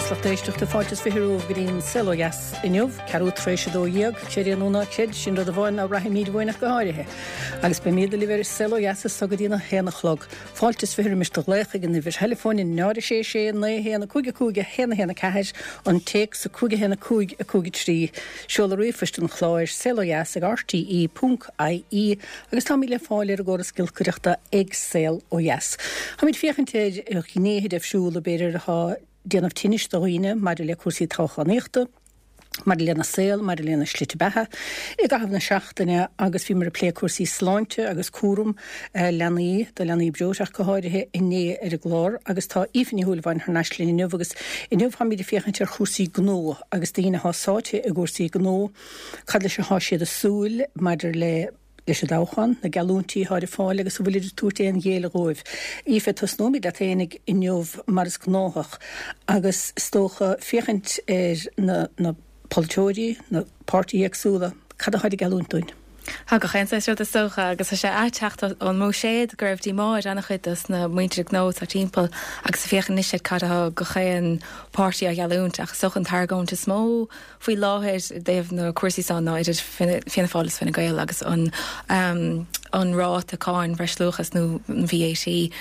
maith is lucht éisteachta, fáilte is 20 romhaibh go dtí an Saol Ó Dheas inniu, ceathrú tar éis 12, creid é nó ná creid, sin rud amháin ná braithimid uainn ach go háirithe. Agus beimid libh ar an Saol Ó Dheas as so go dtí an 1 a chlog. Fáilte is 20 roimis do ghlaoch ag an uimhir theileafóin 0 6 6 9 1 5 5 1 1 4, an téacs 5 1 5 5 3, seoladh ríomhphoist an chláir, saolodheas ag rte ponc ie, agus táimid le fáil ar an gcóras giolcaireachta ag Saol Ó Dheas. Táimid féachaint ar ghnéithe difriúla, b'fhéidir, atá ag déanamh tinnis do dhaoine maidir le cúrsaí toghchánaíochta, maidir lena saol, maidir lena slite beatha i gcaitheamh na seachtaine agus bhíomar ag plé cúrsaí sláinte agus cúram leanaí, do leanaí breoite ach go háirithe, inné ar an gclár agus tá Aoife Ní Shúilleabháin thar n-ais linn inniu agus inniu táimid ag féachaint ar chúrsaí gnó agus daoine atá sáite i gcúrsaí gnó, cad leis atá siad ag súil maidir le leis an dtoghchán, na geallúintí atá ar fáil agus an bhfuilid ag tabhairt aon ghéilleadh dhóibh. Aoife, tosnóimid leat fhéinig inniu mar is gnáthach agus is dócha féachaint ar na na polaiteoirí, na páirtithe éagsúla, cad atáid ag geallúint dúinn? Tá gach aon saghas rud is dócha agus tá sé a' teacht ón mBuiséad go raibh díomá ar ana-chuid dos na muintir gnó atá timpeall agus ag féachaint anois ar cad atá gach aon páirtí á gheallúint ach is dócha an t-argóint is mó faoi láthair i dtaobh na cúrsaí seo ná idir Fianna Fáil is Fine Gael agus an an ráta cáin bhreisluacha nó an VAT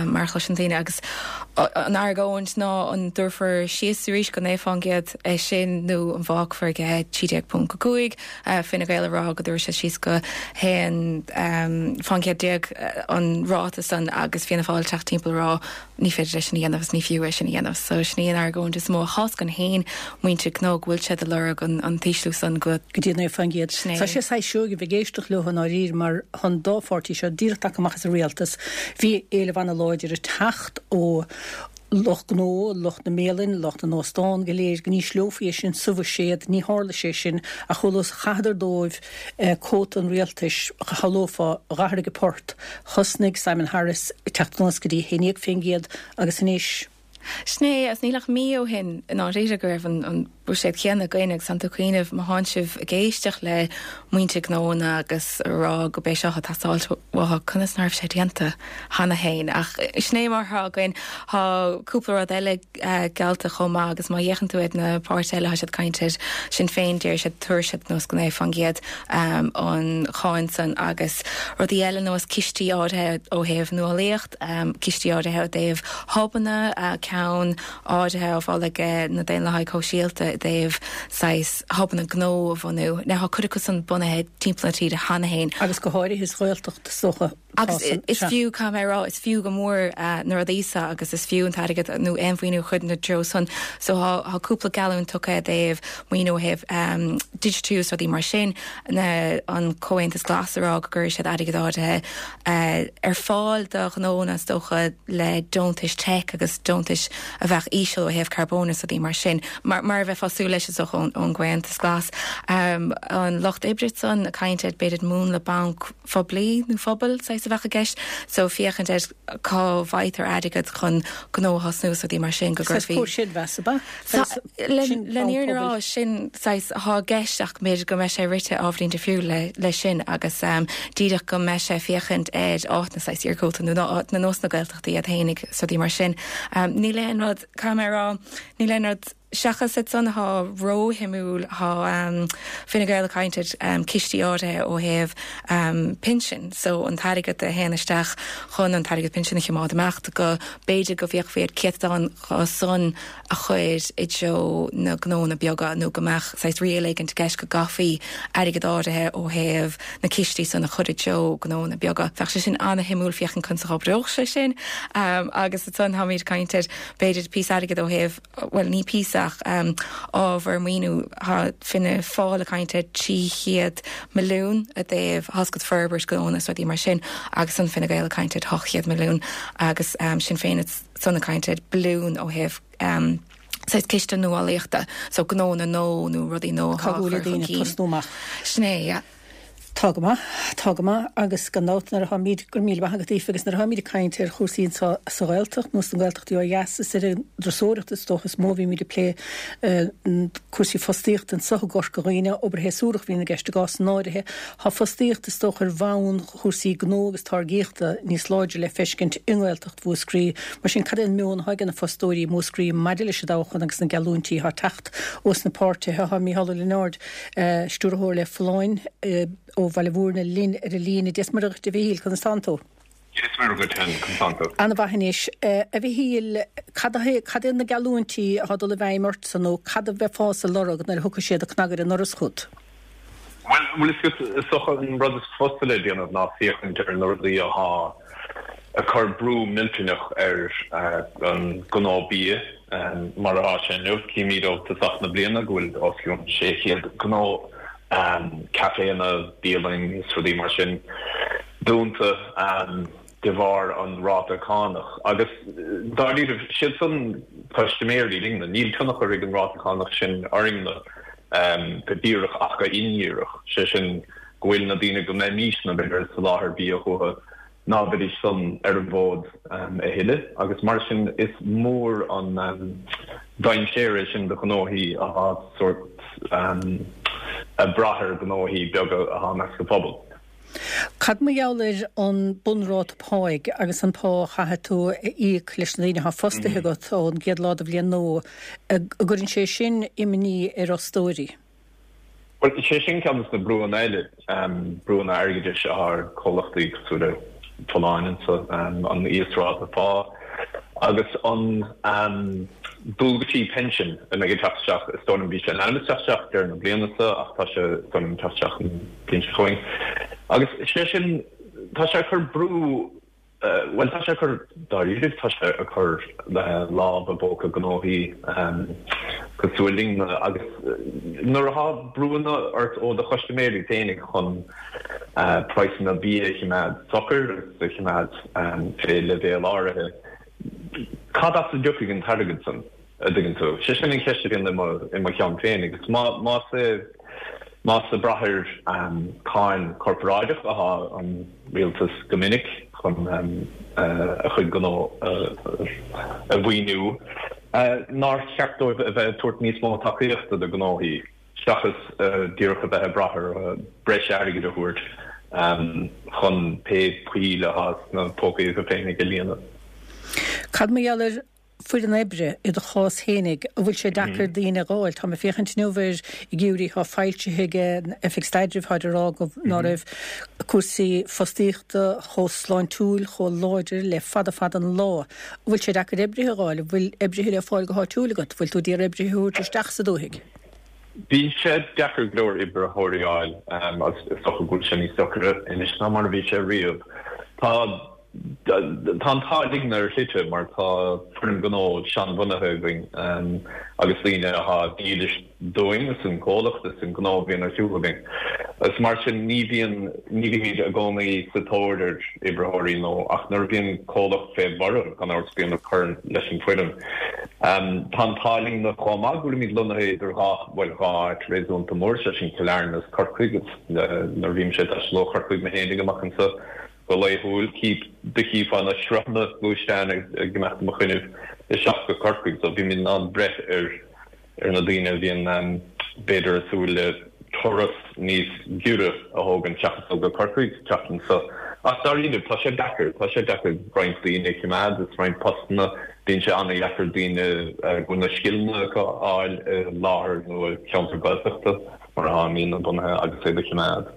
mar a chloiseann daoine agus an argóint ná an dtabharfar síos arís go 9% é sin nó an bhfágfar ag 13.5 Fine Gael ag rá go dtabharfaidh siad síos go 11% an ráta san agus Fianna Fáil teacht timpeall ag rá Ní féidir é sin a dhéanamh is ní fiú é sin a dhéanamh. So sin í an argóint is mó a choscann féin muintir gnó go bhfuil siad ag lorg an t-ísliú san go. go dtí 9%. Sin é. Tá sé saghas seoigh a bheith ag éisteacht leo i ndáiríre mar tá an dá pháirtí seo díreach tagtha amach as an rialtas. Bhí éileamh ana-láidir ag teacht ó lucht gnó, lucht na mbialann, lucht na n-óstán go léir go n-ísleofaí é sin sa bhuiséad. Ní tharla sé sin ach chualas chaitheadar dóibh cóta an rialtais, shamhlófá, d'athraigh an port. Thosnaigh Simon Harris ag teacht anuas go dtí 11% agus anois. Sin é, agus níl ach mí ó shin i ndáiríre go raibh an buiséad céanna againn agus tánn tú ag cuimhneamh má thánn sibh ag éisteacht le muintir gnónna agus a rá go b'é seo atá teastáilt uathu, conas ná raibh sé déanta cheana féin? Ach sin é mar atá againn. Tá cúpla rud eile geallta chomh maith agus má fhéachann tú ar na páirtithe eile tá siad ag caint ar Sinn Féin deir siad tabharfaidh siad anuas go 9% an cháin san agus rudaí eile nós cistí áirithe ó thaobh nuálaíocht, cistí áirithe ó dtaobh hubanna, ceann áirithe á mholadh ag na Daonlathaigh Shóisialta i dtaobh saghas hubanna gnó a bhunú. Now tá cuid acu san bunaithe timpeall na tíre cheana féin. Agus go háirithe sa Ghaeltacht is dócha. Agus is fiú, caithfidh mé a rá, is fiú go mór na rudaí seo agus is fiú an t-airgead nó aon mhaoiniú a chur ina dtreo san. So tá cúpla geallúint tugtha i dtaobh maoiniú ó thaobh digitiú is rudaí mar sin, na, an Comhaontas Glas ag rá go gcuirfidh siad airgead áirithe ar fáil do ghnónna is dócha le deontais tech agus deontais a bheadh íseal ó thaobh carbóin is rudaí mar sin, mar a bheifeá ag súil leis is dócha ón gComhaontas Glas. An Lucht Oibre san ag caint ar b'fhéidir múnla banc, phoiblí nó phobail saghas a bheadh i gceist so féachaint ar cá bhfaightear airgead chun gnó a thosnú is rudaí mar sin go gcuirfí. Saghas comhchreidmheas, ab ea? Saghas sin Le an fhírinne a rá sin saghas atá i gceist ach b'fhéidir go mbeidh sé rite ábhairín difriúil le le sin agus díreach go mbeidh sé féachaint ar áiteanna saghas iargúlta nó áiteanna nós na Gaeltachta iad fhéinig is rudaí mar sin. Níl aon rud, caithfidh mé a rá, níl aon rud Seachas iad san atá róshuimiúil, tá Fine Gael ag caint ar cistí áirithe ó thaobh pinsin, so an t-airgead a théann isteach chun an t-airgead pinsin a choimeád amach, go b'fhéidir go bhféachfaí ar céatadán dho san a chur i dtreo na gnónna beaga nó go mbeadh saghas riail éigint i gceist go gcaithfí airgead áirithe ó thaobh na cistí san a chur i dtreo gnónna beaga. Bheadh sé sin ana-shuimiúil féachaint conas a dh'oibreodh sé sin agus ansan táimid ag caint ar b'fhéidir píosa airgid ó thaobh bhuel ní píosa ach ábhar maoiniú, tá Fianna Fáil ag caint ar 300 milliún i dtaobh thoscairt forbairt gnónna is rudaí mar sin agus ansan Fine Gael ag caint ar 800 milliún agus Sinn Féin ansan ag caint ar billiún ó thaobh saghas ciste nuálaíochta so gnónna nua nó rudaí nua atá á chur chun cinn. Tosnú amach. Sin é, yeah. Tá go maith, tá go maith agus gan dabht nuair atáimid, go raibh míle maith agat Aoife, agus nuair atáimid ag caint ar chúrsaí anseo sa Ghaeltacht nó sna Gaeltachtaí ó dheas is ar an dturasóireacht is dócha is mó a bhímid ag plé cúrsaí fostaíochta anseo i gCorca Dhuibhne, obair shéasúrach a bhíonn i gceist i gcásanna áirithe. Tá fostaíocht is dócha ar bhonn chúrsaí gnó agus táirgíochta níos láidre le feiscint i nGaeltacht Mhúscraí. Mar sin cad é an meon atá ag na fostóirí i Múscraí maidir leis an dtoghchán agus na geallúintí atá ag teacht ós na páirtithe? Tá Mícheál Ó Lionáird Stiúrthóir le Folláin ó Bhaile Mhúirne linn ar an líne. Dia is Muire dhuit a Mhichíl, conas tánn tú? Dia is Muire dhuit féin, conas tánn tú? Ana-mhaith anois. A Mhichíl, cad é, cad é na geallúintí atá ag dul i bhfeidhm ortsa nó cad a bheifeása ag lorg nuair a thiocfaidh siad ag cnagadh ar an ndoras chugat? Bhuel, an bhfuil fhios agat, is dócha an rud is fusa le déanamh ná féachaint ar na rudaí athá ag cur brú millteanach ar an gnó bia mar atá sé inniu. Címid ó tosach na bliana go bhfuil os cionn 600 gnó, caiféanna, bialainn is rudaí mar sin dúnta de bharr an ráta cánach. Agus dáiríribh, siad san custaiméirí linne. Níl tionchar ag an ráta cánach sin orainne go díreach ach go hindíreach, sé sin go bhfuil na daoine go mbeimisne b'fhéidir ag soláthar bia chucu, ná beidís san ar an bhfód a thuilleadh agus mar sin is mór an dainséar é sin do ghnóthaí atá sórt ag brath ar ghnóthaí beaga atá i measc an phobail. Cad mar gheall ar an bunráta páigh agus an pá a chaithfidh tú a íoc leis na daoine atá fostaithe agat ón gcéad lá de bhliain nua, an gcuireann sé sin imní ar fhostóirí? Bhuel, is é sin ceann de na brúanna eile, brúanna airgeadais atá ar chomhlachtaí cosúil le Folláin anso, an íosráta pá agus an dualgaisí pinsin a mbeidh ag teacht isteach, is dóigh liom, bhí sé in ainm is teacht isteach deireadh na bliana seo ach tá sé, is dóigh liom, ag teacht isteach an bhliain seo chugainn. Agus sé sin, tá sé ag cur brú Bhuel, tá sé ag cur, dáiríre, tá sé ag cur lámh i bpóca gnóthaí cosúil linn agus nuair atá brúanna ort ó do chustaiméirí féinig chun praghsanna bia a chimeád socair agus a chimeád fé leibhéal áirithe, cad as a dtiocfaidh an t-airgead san? a' dtuigeann tú? Sé sin an cheist a bhíonn i mo, i mo cheann féin agus má, más é, más ag brath ar cáin corparáideach athá an rialtas go minic chun a chuid gnó a mhaoiniú, nár cheart dóibh a bheith ag tabhairt níos mó tacaíochta do ghnóthaí seachas díreach a bheith ag brath ar breis airgid a thabhairt chun pé poill athá sna pócaí acu féinig a líonadh. Cad mar gheall ar foireann oibre, i do chás fhéinig, an bhfuil sé deacair daoine a dh'fháil? Táim ag féachaint inniu ar fhigiúirí atá foilsithe ag an Oifig Staidrimh, táid ag rá go ná raibh cúrsaí fostaíochta chomh sláintiúil, chomh láidir le fada fada an lá. An bhfuil sé deacair oibrithe a dh'fháil? An bhfuil oibrithe le fáil go háitiúil agat? Bhfuil tú d'iarraidh oibrithe a thabhairt isteach sa dúthaigh? Bíonn sé deacair go leor oibritheoirí a fháil agus is dócha go bhfuil sé níos deacaire anois ná mar a bhí sé riamh. Tá. Tá an t-ádh linn ar shlite mar tá foireann gnó seanbhunaithe againn agus daoine atá dílis dúinn is don chomhlacht is don ghnó a bhíonn ar siúl againn. Agus mar sin ní bhíonn, ní bhímid i gcónaí sa tóir ar oibritheoirí nó ach nuair a bhíonn comhlacht fé bhorradh gan amhras bíonn ag cur leis an bhfoireann. Tá an t-ádh linn chomh maith go bhfuilimid lonnaithe idir dhá, bhuel dhá áit réasúnta mór, sé sin Cill Airne is Corcaigh agus nuair a bhímse ag taisteal ó Chorcaigh mé féinig amach anseo Go laethúil, do chífeá na sruthanna gluaisteáin ag imeacht i mo choinnibh isteach go Corcaigh so bímid in ann breith ar ar na daoine a bhíonn b'fhéidir ag súil le turas níos giorra a thógaint seachas dul go Corcaigh teacht anso. Ach dáiríre, tá sé deacair, tá sé deacair roinnt daoine a chimeád is roinnt postanna, bíonn sé an-dheacair daoine go bhfuil na scileanna acu a fháil i láthair nó i gceantar Gaeltachta mar atá muidne bunaithe agus iad a chimeád.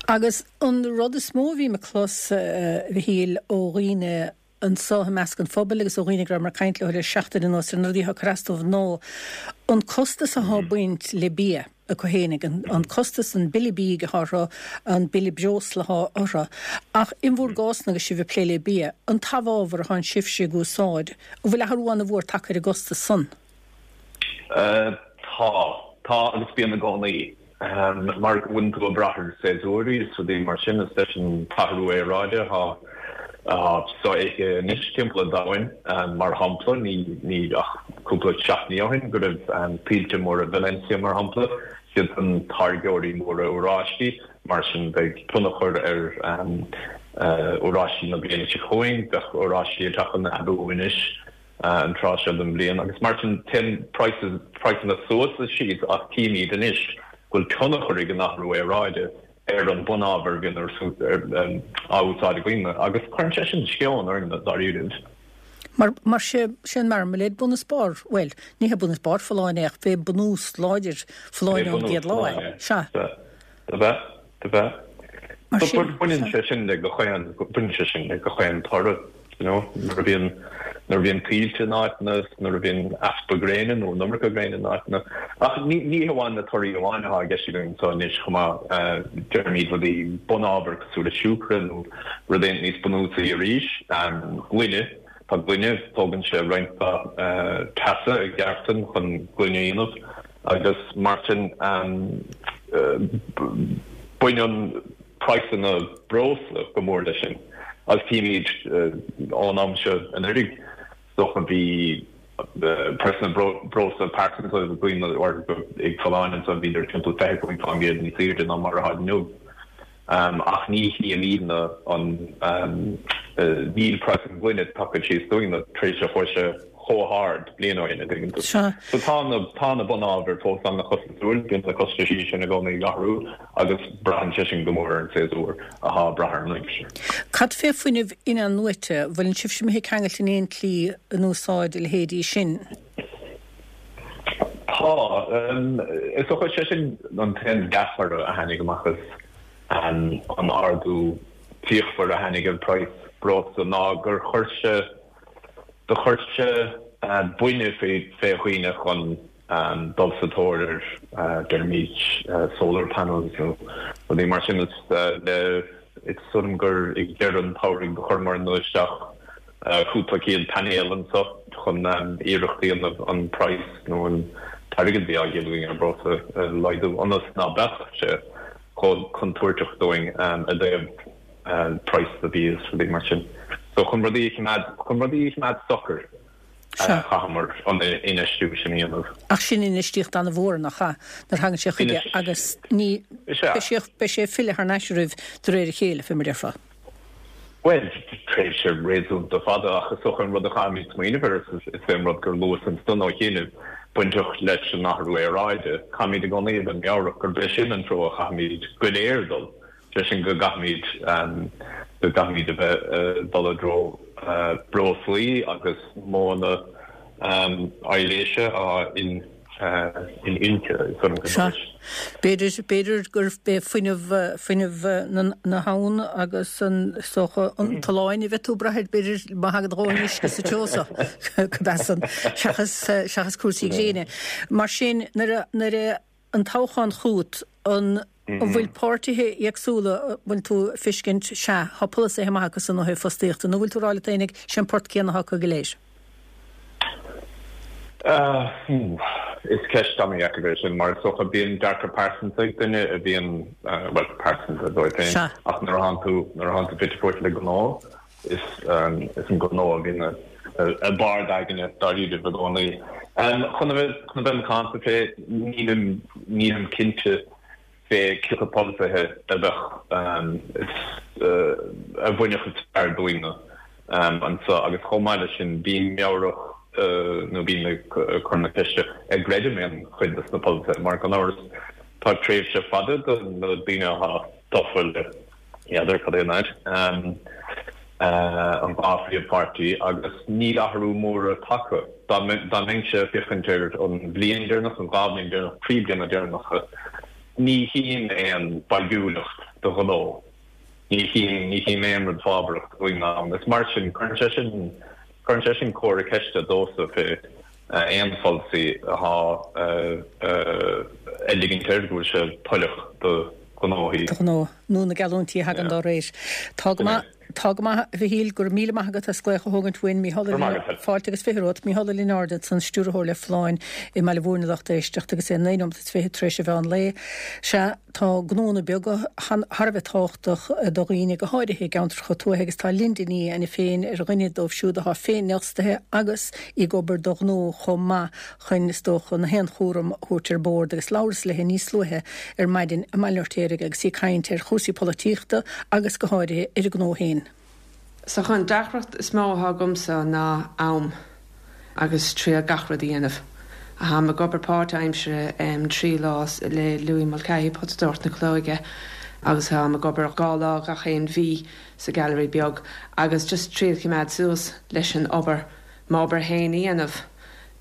Agus an rud is mó a bhím ag clos, a Mhichíl, ó dhaoine anso i measc an phobail agus ó dhaoine go rabhamar ag caint leo le seachtain anuas ar na rudaí atá ag cur as dóibh ná an costas atá ag baint le bia acu fhéinig, an costas, an bille bídh atá orthu, an bille breosla atá orthu. Ach in bhur gcás-na agus sibh ag plé le bia, an t-amhábhar atánn sibhse ag úsáid, an bhfuil athrú an-mhór tagtha ar an gcostas san? Tá. Tá agus bíonn i gcónaí. Mar go bhfuileann tú ag brath ar séasúirí is rudaí mar sin is leis an t-athrú aeráide atá sofheicthe anois timpeall an domhain, mar shampla, ní ach cúpla seachtainí ó shin go raibh tuilte móra i Valencia, mar shampla, siadsan táirgeoirí móra oráistí. Mar sin beidh tionchar ar oráistí na bliana seo chugainn, bheadh oráistí ag teacht chun aibiú anois an tráth seo den bhliain agus mar sin téann praghsanna suas is síos ach tchímid anois go bhfuil tionchar ag an athrú aeráide ar an bunábhar a bhíonn á úsáid againn agus cuireann sé sin sceon orainn dáiríribh. Mar, mar sé, sé an marmalade bun is barr, bhuel, ní hé bun is barr folláine é ach b'é bunús láidir folláine ón gcéad lá é. Sea. Do bheith, do bheith. Mar sin, Baineann sé sin le gach aon, baineann sé sin le gach aon toradh, you know, nuair a bhíonn, nuair a bhíonn tuilte in áiteanna, nuair a bhíonn easpa gréine nó an iomarca gréine in áiteanna. Ach ní, ní hamháin na torthaí amháin atá i gceist againn anseo anois chomh maith, deirimid rudaí bunábhar cosúil le siúcra nó rud éigin níos bunúsaí arís, gloine, tá gloine, tógann sé roinnt mhaith teasa i gceártain chun gloine a dhéanamh. Agus mar sin, baineann praghsanna breosla go mór leis sin. Agus tchímid ón am seo anuraidh, is dócha, bhí praghsanna breosla pearsanta ag daoine ag Folláine ansan, bhíodar timpeall 25% níos airde ná mar atá inniu. Ach ní chímidne an, níl praghas an ghloine tagtha síos dúinne tar éis a chuaigh sé chomh hard bliain ó shin, an dtuigeann tú. So tá na, tá na bunábhair fós an-chostasúil, bíonn na costaisí sin i gcónaí ag athrú agus braitheann sé sin go mór ar an séasúr athá ag brath ar an aimsir. Cad fé fuinneamh in-athnuaite, bhfuileann sibhse imithe ceangailte in aon tslí in úsáid a leithéidí sin? Tá. Is dócha, sé sin an t-aon dea-thoradh a tháinig amach as an ardú fíochmhar a tháinig ar praghas breosla ná gur chuir sé, do chuir sé buinne fé dhaoine chun dul sa tóir ar, deirimid, solar panels nó rudaí mar sin. Is le, is dóigh liom gur ag deireadh an tsamhraidh do chuireamarna isteach cúpla céad painéal anseo chun iarracht a dhéanamh an praghas nó an t-airgead a bhí á dhíol againn ar breosla a laghdú ionas ná beadh sé chomh contúirteach dúinn i dtaobh praghas na bia is rudaí mar sin. So chun rudaí a choimeád, chun rudaí a choimeád socair chaitheamar an infheistiú sin a dhéanamh. Ach sin infheistíocht an-mhór, nach ea, nuair a thagann sé chuige agus ní, beidh sé, beidh sé ag filleadh thar n-ais oraibh de réir a chéile, fé mar déarfá. Bhuel, tréimhse réasúnta fada, ach is dócha an rud a chaithfimid smaoineamh air, is é an rud gur luas ansan ó chianaibh, bainteach leis an athrú aeráide. Caithfimid i gcónaí a bheith meabhrach gurb é sin an treo a chaithfimid go léir dul, sé sin go gcaithfimid, go gcaithfimid a bheith ag dul i dtreo breoslaí agus modhanna aibhléise a in. Sea. B'fhéidir, b'fhéidir gurb é fuinneamh, fuinneamh na habhann agus an, is dócha, an tolláin a bheidh tú ag brath air, b'fhéidir, má thagann a dhóthain uisce sa treo so, go b'ea san, seachas, seachas cúrsaí gréine. Mar sin, nuair a, nuair a, an toghchán chugat, an, an bhfuil páirtithe éagsúla, an bhfuil tú ag feiscint, sea, tá polasaithe maith acu san ó thaobh fostaíochta, nó an bhfuil tú ag rá leat fhéinig, sé an port céanna atá acu go léir? Is ceist an-dheacair é sin mar is dócha bíonn dearcadh pearsanta ag duine a bhíonn, bhuel, pearsanta dóibh féin, ach nuair a thánn tú, nuair a thánn tú fite fuaite le gnó, is is an gnó a bhíonn i mbarr d'aigne dáiríre i gcónaí. Chun a bheith, chun a bheith macánta fé, nílim, nílim cinnte fé cé acu polasaithe a bheadh, a bhainfeadh is fearr dúinne anseo agus chomh maith leis sin bím meabhrach nó bím ag cur na ceiste an gcreidim aon chuid de na polasaithe mar gan amhras tá tréimhse fada do na daoine atá tofa le n'fheadar cad é an fhad, an dá phríomhpháirtí agus níl athrú mór tagtha. Dá mbeinnse ag féachaint ar an bhliain deireanach, an dá bhliain deireanach, trí bliana deireanacha, ní chím aon bhagúlacht do ghnó, ní chím, ní chím aon rud fábharach do dhaoine ann. Is mar sin, cuireann sé sin, cuireann sé sin comhartha ceiste domhsa fé aon pholasaí atá ag ligint air go bhfuil sé toileach do ghnóthaí. Do ghnó, nó na geallúintí a thagann dá réir. Tá go maith. Tá go maith, a Mhichíl, go raibh míle maith agat as glaoch a thógaint uainn. Mícheál Ó Lionáird, fáilte agus 20 romhat. Mícheál Ó Lionáird ansan, Stiúrthóir le Folláin i mBaile Mhúirne lucht éisteachta agus é 9 nóimeat is 20 tar éis an mheán lae. Sea, tá gnónna beaga thar a bheith tábhachtach do dhaoine, go háirithe i gceantracha tuaithe agus tá Linda Ní Ainiféin féin ar dhuine dóibh siúd atá féinfhostaithe agus í ag obair do ghnó chomh maith chun, is dócha, na haon chúram a thabhairt ar bord agus labhras léi níos luaithe ar maidin i mBaile an Fheirtéaraigh agus í ag caint ar chúrsaí polaitíochta agus go háirithe ar a gnó féin. So an deacracht is mó atá agamsa ná am agus triail gach rud a dhéanamh. Táim ag obair páirt-aimsire 3 lá le Louis Mulcahy, Potadóireacht na Calóige, agus táim ag obair 2 lá gach aon mhí sa Gallery Beag agus just triail choimeád suas leis an obair, m'obair féin a dhéanamh.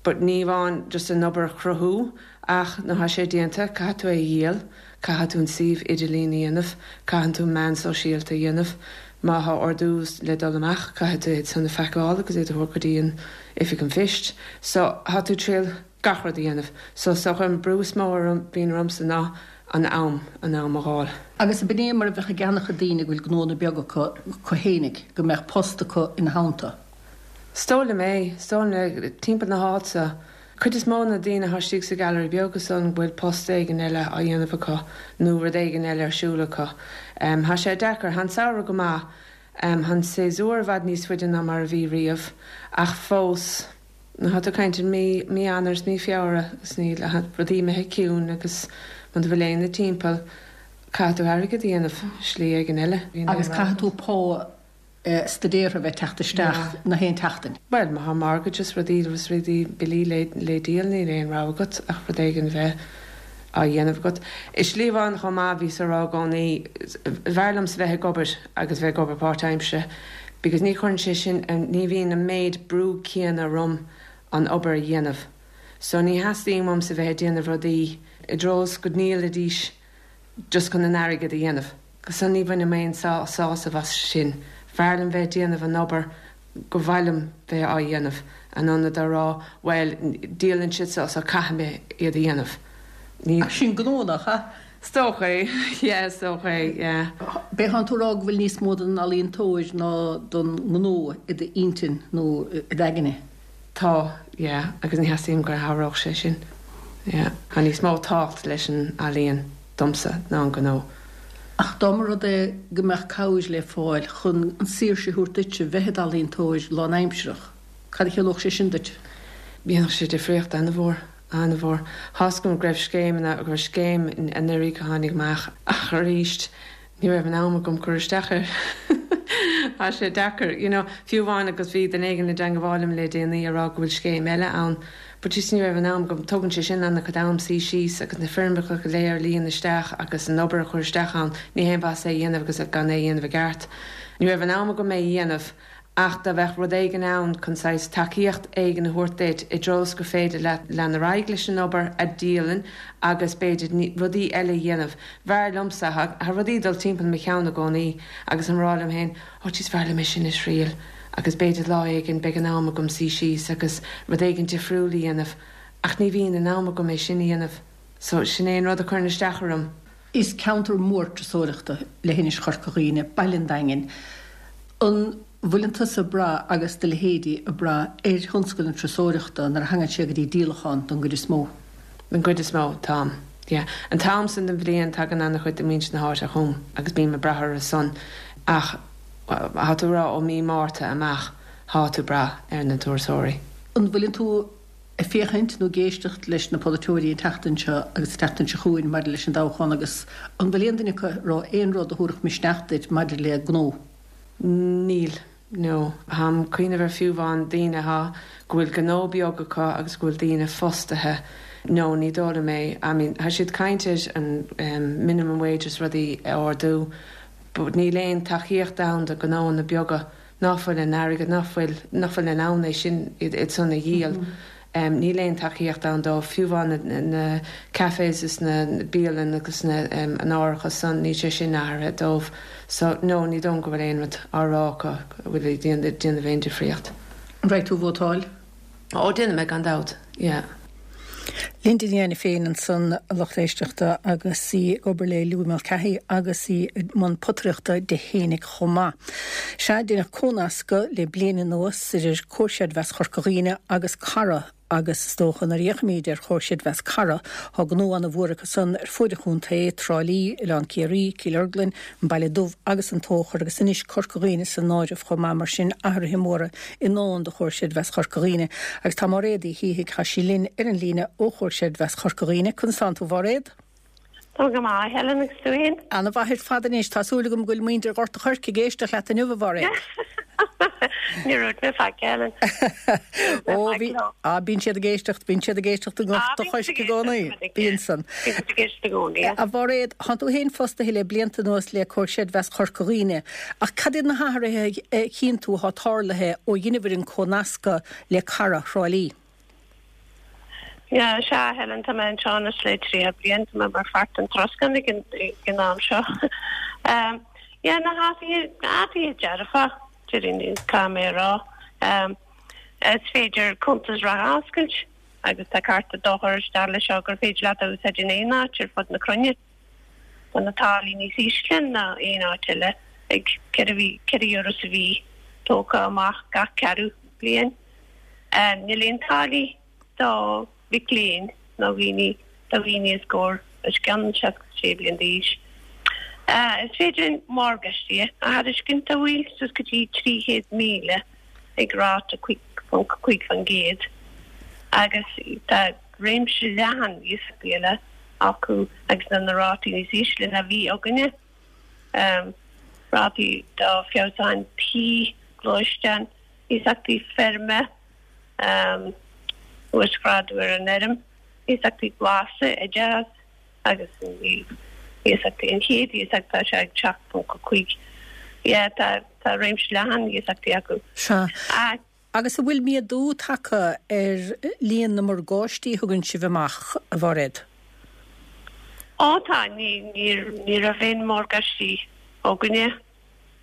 But ní amháin just an obair a chruthú ach nuair atá sé déanta caithfidh tú é a dhíol, caithfidh tú an suíomh idirlín a dhéanamh, caitheann tú meán sóisialta a dhéanamh, má thá ordú le dul amach caithfidh tú iad san a phacáil agus iad a thabhairt go dtí an oifig an phoist. So thá tú ag triail gach rud a dhéanamh. So is dócha an brú is mó a bhíonn ormsa ná an am, an am a dh'fháil. Agus ab in é mar a bheadh ag an-chuid daoine go bhfuil gnónna beaga acu acu fhéinig, go mbeadh post acu ina theannta. Is dóigh liom é. Is dóigh liom timpeall na háite. Cuid is mó na daoine atá istigh sa Gallery Beag is dóigh liom go bhfuil post éigin eile á dhéanamh acu nó rud éigin eile ar siúl acu. Tá sé deacair. Tá an samhradh go maith. Tá an séasúr i bhfad níos faide ná mar a bhí riamh ach fós nuair atá tú ag caint ar mí mí Eanáir is mí Feabhra agus níl rudaí imithe ciúin agus muna bhfuil éinne timpeall caithfidh tú airgead a dhéanamh slí éigin eile. Agus caithfidh tú pá staidéartha a bheith teacht isteach na haon tseachtain. Bhuel, má thá mortgage is rudaí is rudaí, billí le le díol, níl aon rogha agat ach rud éigin a bheith á dhéanamh agat. I slí amháin chomh maith, bhíos á rá i gcónaí, b'fhearr liomsa bheith ag obair agus bheith ag obair páirtaimseartha because ní chuireann sé sin, ní bhíonn an méid brú céanna orm an obair a dhéanamh. So ní theastaíonn uaimse bheith ag déanamh rudaí i dtreo is go ndíolfaidís just chun an airgead a dhéanamh. So ní bhainim aon sásamh as sin. B'fhearr liom bheith ag déanamh an obair gur mhaith liom bheith á dhéanamh, in ionad a rá bhuel, díolann siad seo so caithfidh mé iad a dhéanamh. Ní. Ach sin gnó, nach ea? Is dócha é, yeah, is dócha é, yeah. B'é thánn tú a rá go bhfuil níos mó den ealaíontóir ná don ngnó i d'intinn nó i d'aigne? Tá, yeah, agus ní theastaíonn go n-athródh sé sin, yeah. Tá níos mó tábhacht leis an ealaíon domsa ná an gnó. Ach dá mba rud é go mbeadh cabhair le fáil chun an saoirse a thabhairt duitse bheith i d'ealaíontóir lánaimsearach, cad a chiallódh sé sin duit? Dhéanfadh sé difríocht ana-mhór, ana-mhór. Tá's agam go raibh scéimeanna, go raibh scéim anuraidh a tháinig amach ach arís, Ní raibh an am agam cur isteach air. Tá sé deacair, you know, fiú amháin agus bhí duine éigin i dteangabháil liom le déanaí a rá go bhfuil scéim eile ann but just ní raibh an am agam. Tógann sé sin ana-chuid am suí síos agus na foirmeacha go léir a líon isteach agus an obair a chur isteach ann. Ní haon mhaitheas é a dhéanamh agus gan é a dhéanamh i gceart. Ní raibh an am agam é a dhéanamh. Ach dá mbeadh rud éigin ann chun saghas tacaíocht éigin a thabhairt duit i dtreo is gur féidir leat lean ar aghaidh leis an obair a dhíolann agus b'fhéidir rudaí eile a dhéanamh. B'fhearr liomsa, thá rudaí ag dul timpeall mo cheann i gcónaí agus ag rá liom féin, oh jeez b'fhearr liom é sin a thriail agus b'fhéidir lá éigin beidh an am agam suí síos agus rud éigin difriúil a dhéanamh ach ní bhíonn an am agam é sin a dhéanamh. So sin é an rud a chuireann isteach orm. Is ceantar mór turasóireachta leithinis Chorca Dhuibhne, baile an Daingin. An bhfuileann tusa ag brath agus do leithéidí ag brath ar thionscal na turasóireachta nuair a thagann sé go dtí díolachán don gcuid is mó? Don gcuid is mó, táim. Yeah. An t-am san den bhliain tagann ana-chuid de mhuintir na háite chugam agus bím ag brath orthu san ach thá tú ag rá ó mí Márta amach thá tú ag brath ar na turasóirí. An bhfuileann tú ag féachaint nó ag éisteacht leis na polaiteoirí an tseachtain seo agus an tseachtain seo chugainn maidir leis an dtoghchán agus an bhfuil aon duine acu ag rá aon rud a thabharfadh misneach duit maidir le gnó? Níl, no. Táim ag cuimhneamh ar fiú amháin daoine athá, go bhfuil gnó beag acu agus go bhfuil daoine fostaithe. No, ní dóigh liom é. I mean, thá siad caint ar an minimum wage is rudaí a ardú but níl aon tacaíocht ann do gnóanna beaga. ná fuil an airgead, ná fuil, ná fuil in ann é sin, iad san a dhíol. Níl aon tacaíocht ann dóibh, fiú amháin na, na cafés is na bialann agus na, an árachas san, níl sé sin athraithe dóibh. So, no, ní dóigh liom go bhfuil aon rud á rá acu a bhfuil ag déanamh aon difríocht. An raghaidh tú ag vótáil? Ó, déanfaidh mé gan dabht, yeah. Linda Ní Ainiféin ansan, a lucht éisteachta, agus í ag obair le Louis Mulcahy agus í i mbun potaireachta di fhéinig chomh maith. Sea, deineadh cónascadh le bliain anuas idir Comhar Creidmheasa Chorca Dhuibhne agus Cara agus is dócha nuair a fhéachaimíd ar Chomhar Creidmheasa Cara, tá gnó ana mhór acu san ar fuaid an chontae, Trá Lí, Oileán Ciarraí, Cill Orglan, An Baile Dubh agus an Tóchar agus anois Corca Dhuibhne san áireamh chomh maith mar sin athruithe móra i ndán do Chomhar Creidmheasa Chorca Dhuibhne agus tá Máiréad Uí Shíthigh, tá sí linn ar an líne ó Chomhar Creidmheasa Chorca Dhuibhne. Conas tánn tú, a Mháiréad? Tá go maith, Helen, agus tú fhéin? Ana mhaith ar fad anois. Tá súil agam go bhfuil muintir Ghort a' Choirce ag éisteacht leat inniu, a Mháiréad. Níor dhúirt mé faic, Helen. Ó, bhí, á, bíonn siad ag éisteacht, bíonn siad ag éisteacht i nGort a' Choirce i gcónaí. Bíonn san. Bíonn siad ag éisteacht i gcónaí. A Mháiréad, tánn tú fhéin fostaithe le blianta anuas le Comhar Creidmheasa Chorca Dhuibhne. Ach cad iad na hathruithe a chíonn tú atá tarlaithe ó dheineabhair an cónascadh le Cara Thrá Lí? Yeah, sea, Helen, tá mé anseo anois le 30 bliain, tá mé mar pháirt den troscán ag an am seo. Yeah, na hathruithe, athruithe dearfa, déarfainn, caithfidh mé a rá. Is féidir cuntas reatha a oscailt agus tá cárta dochair isteach leis seo gur féidir leat a úsáid in aon áit ar fud na cruinne. Tá na táillí níos ísle ná aon áit eile, ag €4 sa mhí, tógtha amach gach ceathrú bliain. Níl aon táillí do mhic léinn nó dhaoine do dhaoine os comhair os cionn 66 bliain d'aois. Is féidir morgáistí a thairiscint do bhaill suas go dtí 300,000 ag ráta 5.5% agus tá réimse leathan iasachtaí eile acu agus na na rátaí níos ísle ná bhí againne. Rátaí do feabhsúcháin tí, gluaisteáin, iasachtaí feirme, uasghrádú ar an fheirm, iasachtaí glasa, oideachas agus iasachtaí an chéad iasacht tá sé ag 7.5. Yeah, tá tá réimse leathan iasachtaí acu. Sea. Agus an bhfuil méadú tagtha ar líon na morgáistí a thugann sibh amach, a Mháiréad? Ó tá, ní, ní raibh aon morgáistí againne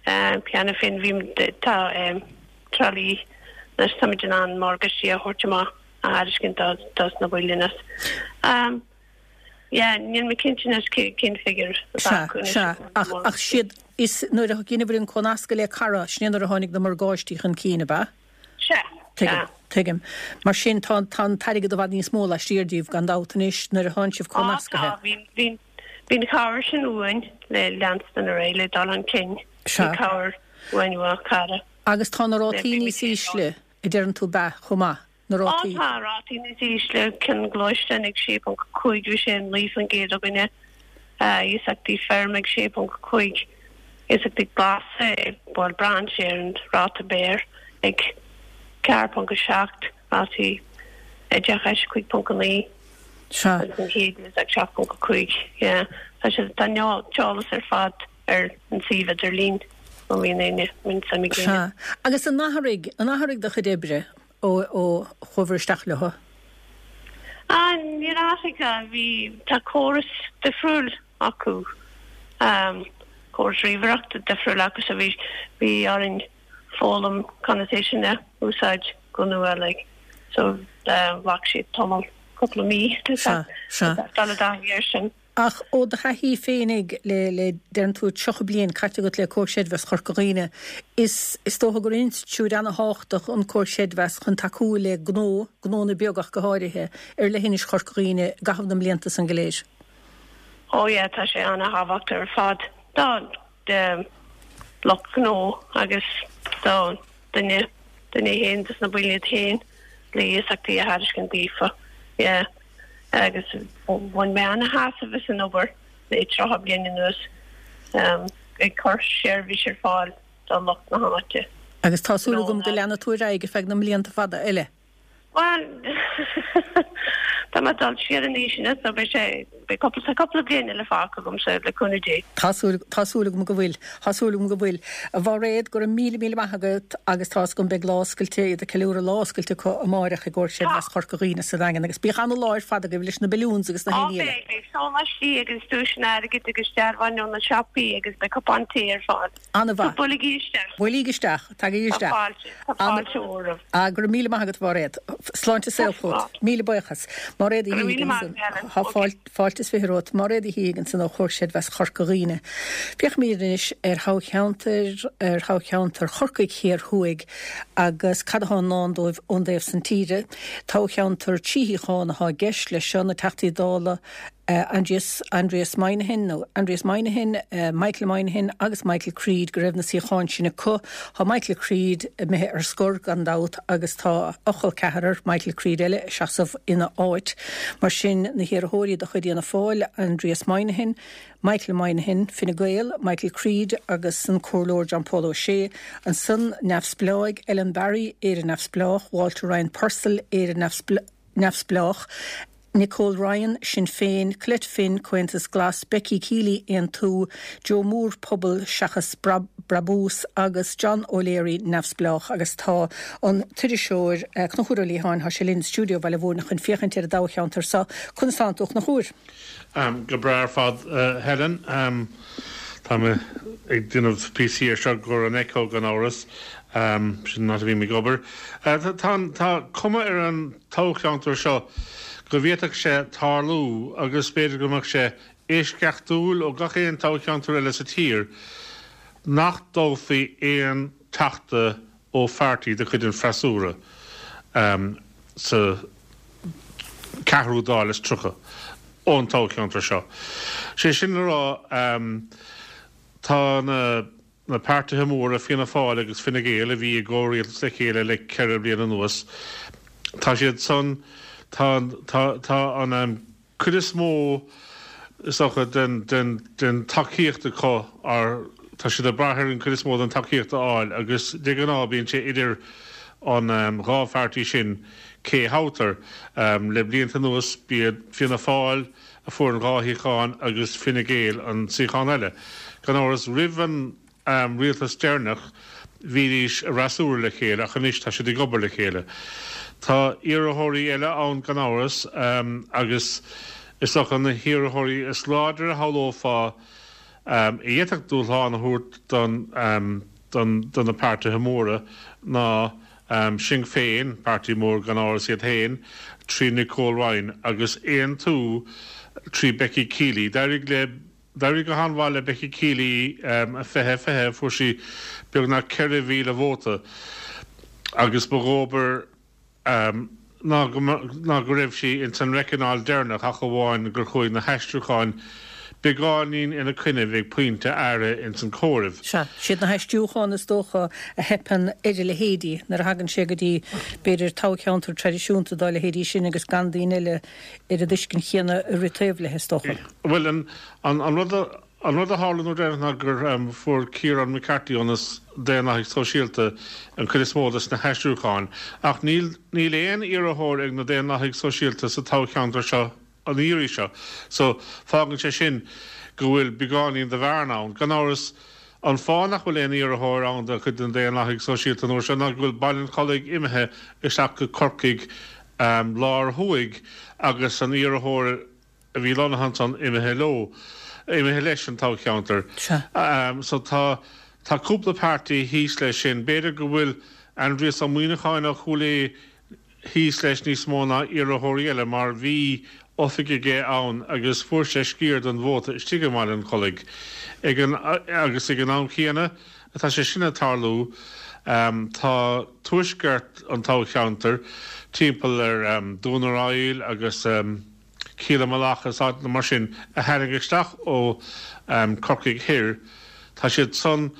cheana féin, bhí, tá Trá Lí anois, táimid in ann morgáistí a thabhairt amach, a thairiscint dos na baill anois. Yeah, níl mé cinnte anois cén figiúr atá acu anois. Sea, sea, ach, ach siad, is nuair a dheineabhair an cónascadh le Cara, sin é nuair a tháinig na morgáistí chun cinn, ab ea? Sea, Tuigim, tuigim. Mar sin, tá, tá an t-airgead i bhfad níos mó laistiar díobh, gan dabht, anois, nuair a thánn sibh Á, cónascaithe. tá, bhí, bhí, bhí an chabhair sin uainn le leanstan ar aghaidh, le dul chun cinn. Sea. Bhí cabhair uainn ó Cara. Agus tá na rátaí níos ísle, a deireann tú, ab ea, chomh maith? na rátaí. Á tá, rátaí níos ísle, cionn gluaisteáin ag 6.5, bhí sé 9% againne, iasachtaí feirme ag 6.5, iasachtaí glasa, bhuel braitheann sé ar an ráta béir, ag 4.7, rátaí oideachais 5.9 agus an chéad iasacht 7.5, yeah. Tá sé, tá an t-eolas ar fad ar an suíomh idirlín má bhíonn éinne, má bhíonn suim ag éinne. Sea. Agus an athraigh, an athraigh do chuid oibre ó chuabhair isteach leo? Ah, níor athraigh. Bhí, tá córas difriúil acu, córas ríomhaireachta difriúil acu so bhí, bhí orainn foghlaim conas é sin a úsáid go nua like. So ghlac sé tamall, cúpla mí Sea, sea. dul i dtaithí air sin. Ach ó do thaithí féinig le, le, deireann tú, 30 bliain caite agat le Comhar Creidmheasa Chorca Dhuibhne, is, is dócha gur institiúid ana-thábhachtach an Comhar Creidmheasa chun tacú le gnó, gnónna beaga ach go háirithe, ar leithinis Chorca Dhuibhne i gcaitheamh na mblianta san go léir. Ó yeah, tá sé ana-thábhachtach ar fad do, do lucht gnó agus do duine, duine féin, dos na baill iad féin le iasachtaí a thairiscint daofa. Yeah. agus bhain mé ana-shásamh as an obair le 30 bliain anuas ag cur seirbhís ar fáil do lucht na háite. Agus tá súil agam go leanfaidh tú ar aghaidh ar feadh na mblianta fada eile. Bhuel, tá mé ag dul siar in aois anois so beidh sé. beidh cúpla, tá cúpla bliain eile fágtha agamsa, le cúnamh Dé. Tá súil, tá súil agam go bhfuil. Tá súil agam go bhfuil. A Mháiréad, go raibh míle, míle maith agat agus tá's agam beidh lá oscailte, iad ag ceiliúradh lá oscailte acu amáireach i gComhar Creidmheasa Chorca Dhuibhne sa Daingean agus bíodh ana-lá ar fad agaibh leis na balloons agus na Á héinní eile. beidh, beidh sóláistí agus duaiseanna airgid agus dearbháin ó na siopaí agus beidh cupán tae ar fáil. Ana-mhaith. So buailigí isteach. Buailigí isteach. Tagaigí Tá isteach. fáilte, tá fáilte mhór romhaibh. Ah, go raibh míle maith agat, a Mháiréad. Sláinte is saol chugat. Míle buíochas. Máiréad Uí Go raibh míle Shíthigh maith ansan. agat, Helen. Tá Ok. fáilte, fáilte is fiche romhat. Máiréad Uí Shíthigh ansan ó Chomhar Creidmheasa Chorca Dhuibhne. Féachfaimid anois ar thoghcheantar, ar thoghcheantar Chorcaigh Thiar Thuaidh agus cad atá i ndán dóibh ón dtaobh san tíre. Toghcheantar trí shuíochán atá i gceist leis seo, na Teachtaí Dála, Aindrias, Aindrias Moynihan, nó Aindrias Moynihan, Michael Moynihan agus Michael Creed go raibh na suíocháin sin acu. Tá Michael Creed imithe ar scor gan dabht agus tá a chol ceathrar, Michael Creed eile, ag seasamh ina áit. Mar sin, na hiarrthóirí de chuid Fhianna Fáil, Aindrias Moynihan, Michael Moynihan, Fine Gael, Michael Creed agus an Comhairleoir John Paul O'Shea. Ansan, Neamhspleáigh, Ellen Barry, Éire Neamhspleách, Walter Ryan Purcell, Éire Neamhspleách, Nicole Ryan, Sinn Féin, Colette Finn, Comhaontas Glas, Becky Keeley, Aontú, Joe Moore, Pobal Seachas Brabús, agus John O'Leary, Neamhspleách. Agus tá an t-iriseoir Conchúr Ó Liatháin, tá sé linn i stiúideo Bhaile Mhúirne chun féachaint ar an dtoghcheantar seo. Conas tánn tú, a Chonchúir? Go breá ar fad, Helen. Tá mé ag déanamh píosaí ar seo i gcomhair an Echo gan amhras. Sin an áit a bhím ag obair. Tá cuma ar an toghcheantar seo go bhféadfadh sé tarlú, agus b'fhéidir go mbeadh sé eisceachtúil ó gach aon toghcheantar eile sa tír, nach dtoghfaí aon Teachta ó pháirtí de chuid an freasúra sa ceathrú Dáil is 30 ón toghcheantar seo. Sé sin le rá, tá na. Na páirtithe móra, Fianna Fáil agus Fine Gael, a bhí i gcomhrialtas le chéile le 4 bliana anuas, tá siad san, tá, tá, tá an cuid is mó, is dócha, den, den, den tacaíocht acu, or tá siad ag brath ar an cuid is mó den tacaíocht a fháil agus de ghnáth bíonn sé idir an dhá pháirtí sin cé a thoghtar. Le blianta anuas b'iad Fianna Fáil, a fuair an dhá shuíochán agus Fine Gael an suíochán eile. Gan amhras, roimh an rialtas deireanach bhídís i bhfreasúra le chéile ach anois tá siad ag obair le chéile. Tá iarrthóirí eile ann gan amhras agus is dócha na hiarrthóirí is láidre a shamhlófá a d'fhéadfadh dúshlán a thabhairt don do na páirtithe móra ná Sinn Féin, páirtí mór gan amhras iad féin, trí Nicole Ryan, agus Aontú trí Becky Keeley. D'éirigh le D'éirigh go han-mhaith le Becky Keeley i 2020, fuair sí beagnach 4,000 vóta agus ba dhóbair ná ná go raibh sí ins an reicineáil deireanach ach amháin gur chuaigh na haistriúcháin beagáinín ina coinnibh ag pointe áirithe ins an comhaireamh. Sea, siad na haistriúcháin is dócha a theipeann ar a leithéidí nuair a thagann sé go dtí, b'fhéidir, toghcheantar traidisiúnta dá leithéidí sin agus gan daoine eile ar an dtuiscint chéanna ag rith taobh léi, is dócha. Bhuel, an, an rud a. An rud a tharla an uair deireanach ná gur fuair Ciarán McCarthy ó na Daonlathaigh Sóisialta an chuid is mó des na haistriúcháin. Ach níl níl aon iarrthóir ag na Daonlathaigh Sóisialta sa toghcheantar seo an iarraidh seo. So, fágann sé sin go bhfuil beagáinín de bhearna ann. Gan amhras, an fáth nach bhfuil aon iarrthóir ann de chuid na Daonlathaigh Sóisialta an uair seo ná go bhfuil Baile an Chollaigh imithe isteach go Corcaigh Lár Thuaidh agus an iarrthóir a bhí lonnaithe ansan imithe leo, imithe leis an toghcheantar. So tá, tá cúpla páirtí thíos leis sin. B'fhéidir go bhfuil Aindrias Ó Muíneacháin ó Chúil Aodha thíos leis níos mó ná iarrthóirí eile mar bhí oifig aige ann agus fuair sé sciar den vóta istigh i mBaile an Chollaigh. Ag an, agus ag an am chéanna atá sé sin ag tarlú tá tuaisceart an toghcheantair timpeall ar Dún ar Aill agus, Cill na Mallach is áiteanna mar sin a tháinig isteach ó Corcaigh Thoir, tá siad san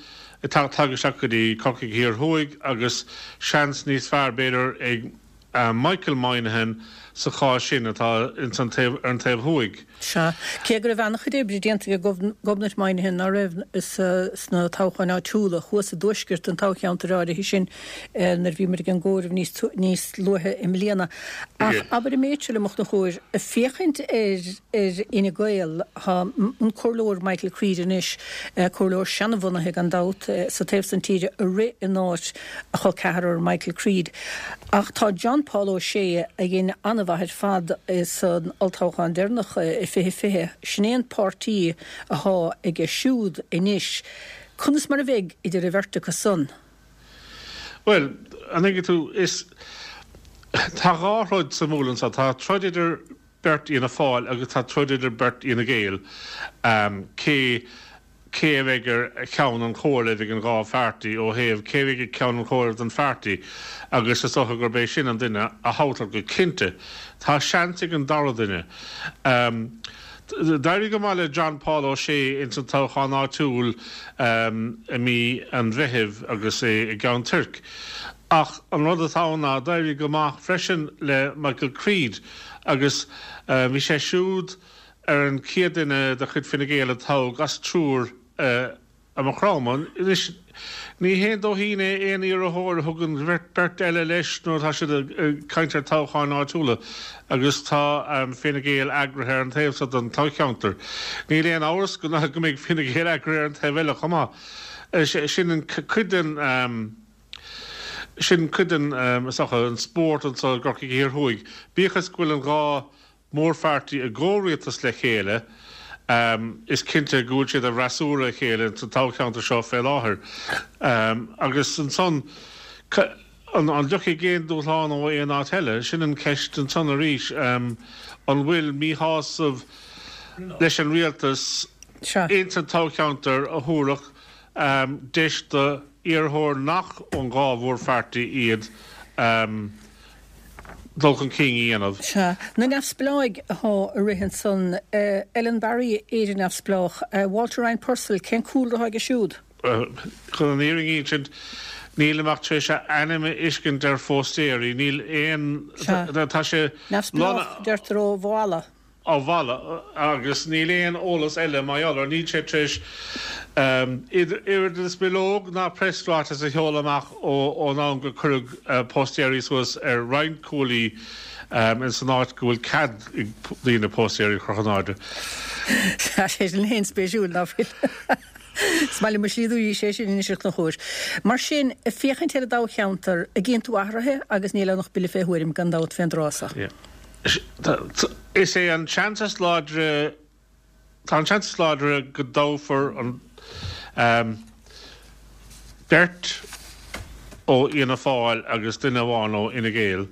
ag teacht isteach go dtí Corcaigh Thiar Thuaidh agus seans níos fearr b'fhéidir ag. Michael Moynihan sa chás sin atá ins an taobh, ar an taobh thuaidh. Sea. Cé go raibh an-chuid oibre déanta ag Gobnait Moynihan, ná raibh, sna toghcháin áitiúla thuas i dtuaisceart an toghcheantair áirithe sin nuair a bhí muid ag an gcomhaireamh níos níos luaithe i mbliana. Ach abair an méid seo liom, a Chonchúir, féachaint ar ar Fhine Gael, tá an Comhairleoir Michael Creed anois, comhairleoir seanbhunaithe gan dabht, sa taobh san tíre ag rith in áit a chol ceathrar Michael Creed. Ach tá John Paul O'Shea, a dhein an-mhaith ar fad san olltoghchán deireanach i 2020, sin é an páirtí athá aige siúd anois. Conas mar a bheidh idir an bheirt acu san? Bhuel, an dtuigeann tú, is, tá dhá throid sa mbuaile anseo. Tá troid idir beirt Fhianna Fáil agus tá troid idir beirt Fhine Gael. Cé. cé a bheidh ar cheann an chomhairimh ag an dhá phairtí ó thaobh cé a bheidh ag ceann an chomhairimh don phairtí agus is dócha gurb é sin an duine a thoghtar go cinnte. Tá seans ag an dara duine. D'éirigh go maith le John Paul O'Shea ins an toghchán áitiúil i mí an Mheithimh agus é i gCeann Toirc. Ach an rud atá ann ná d'éirigh go maith freisin le Michael Creed agus bhí sé siúd ar an chéad duine de chuid Fine Gael a toghadh as triúr i Maigh Chromtha. Anois, ní haon dóithín é aon iarrthóir a thugann beirt eile leis nuair atá siad ag caint ar toghcháin áitiúla agus tá Fine Gael eagraithe ar an taobh seo den toghcheantar. Níl aon amhras go mbeidh Fine Gael eagraithe ar an taobh eile chomh maith. Sin an cuid den sin cuid den, is dócha, an spórt anseo i gCorcaigh Thiar Thuaidh. Bíodh is go bhfuil an dhá mórpháirtí i gcomhrialtas le chéile, is cinnte go bhfuil siad i bhfreasúra a chéile sa toghcheantar seo fé láthair. Agus ansan, an dtiocfaidh aon dúshlán ó aon áit eile? Sin an cheist ansan arís. An bhfuil míshásamh leis an rialtas ins an toghcheantar a thabharfadh deis do iarrthóir nach ón dhá mhórpháirtí iad dul chun cinn a dhéanamh. Sea. Na neamhspleáigh athá ag rith ansan, Ellen Barry, Éire Neamhspleách, Walter Ryan Purcell, cén cúlra athá aige siúd? Chun an fhírinne a insint, nílim ach tar éis a ainm a fheiscint ar phóstaeirí, níl aon, tá sé. Neamhspleách, deirtear ó Mhala. Ó Mhala agus níl aon eolas eile mar gheall air. Níl sé tar éis oiread is bileog ná preasráiteas a sheoladh amach ón am gur cuireadh póstaeirí suas ar roinnt cuaillí ins an áit go bhfuil cead ag daoine póstaeirí a chur chun airde. Tá sé sin féin spéisiúil, ná fuil? Is maith liom mo shlí arís é sin anois a Chonchúir. Mar sin, ag féachaint ar an dtoghcheantar, an gcíonn tú athruithe agus níl ann ach buille fé thuairim gan dabht fén dtráth so. Is é an seans is láidre, tá an seans is láidre go dtoghfar an beirt ó Fhianna Fáil agus duine amháin ó Fhine Gael,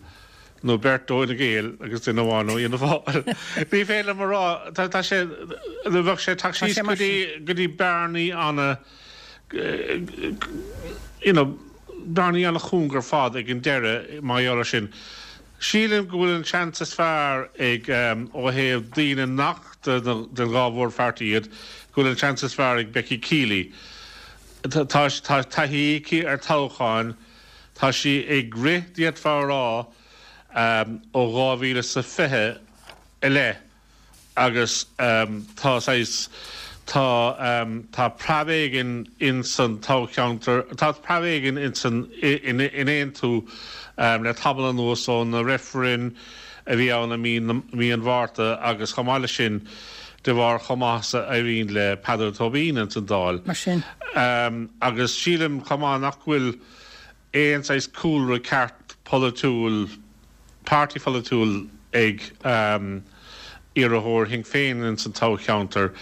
nó beirt ó Fhine Gael agus duine amháin ó Fhianna Fáil. Ní féidir liom a rá, tá sé, bheadh sé ag teacht síos go dtí, go dtí bearnaí ana, you know, bearnaí ana-chúng ar fad ag an deireadh mar gheall air sin. Sílim go bhfuil an seans is fearr ag, ó thaobh daoine nach den dhá mhórpháirtí iad, go bhfuil an seans is fearr ag Becky Keeley. Tá taithí aici ar toghcháin, tá sí ag rith, d'fhéadfá a rá, ó 2020 i leith. agus tá saghas, tá, tá preab éigin ins an toghcheantar, tá preab éigin ins an, in Aontú le tamall anuas ó na reifrinn a bhí ann i mí na, mí an Mhárta agus chomh maith leis sin de bharr chomh maith is a éiríonn le Peadar Tóibín ins an Dáil. Mar sin. Agus sílim chomh maith nach bhfuil aon saghas cúlra ceart polaitiúil, páirtí pholaitiúil ag iarrthóir Shinn Féin ins an toghcheantar.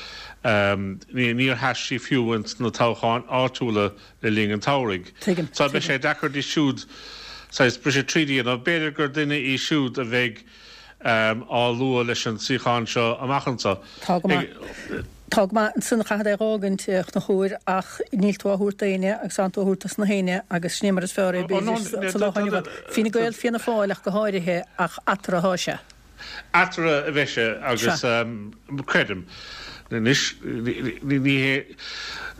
Níor sheas sí fiú ins na toghcháin áitiúla le linn an tsamhraidh. Tuigim. So beidh sé deacair di siúd saghas briseadh tríd a dhéanamh. B'fhéidir gur duine í siúd a bheidh á lua leis an suíochán seo amach anseo. Tá go maith. Tá go maith. Ansan chaithfead é dh'fhágaint, a Chonchúir, ach níl tú á thabhairt d'éinne agus tánn tú á thabhairt dos na héinne agus sin é mar is fearr é, b'fhéidir, sa lá atá inniu ann. Fine Gael, Fianna Fáil ach go háirithe, ach eatarthu athá sé. Eatarthu a bheidh sé agus creidim anois, ní hé.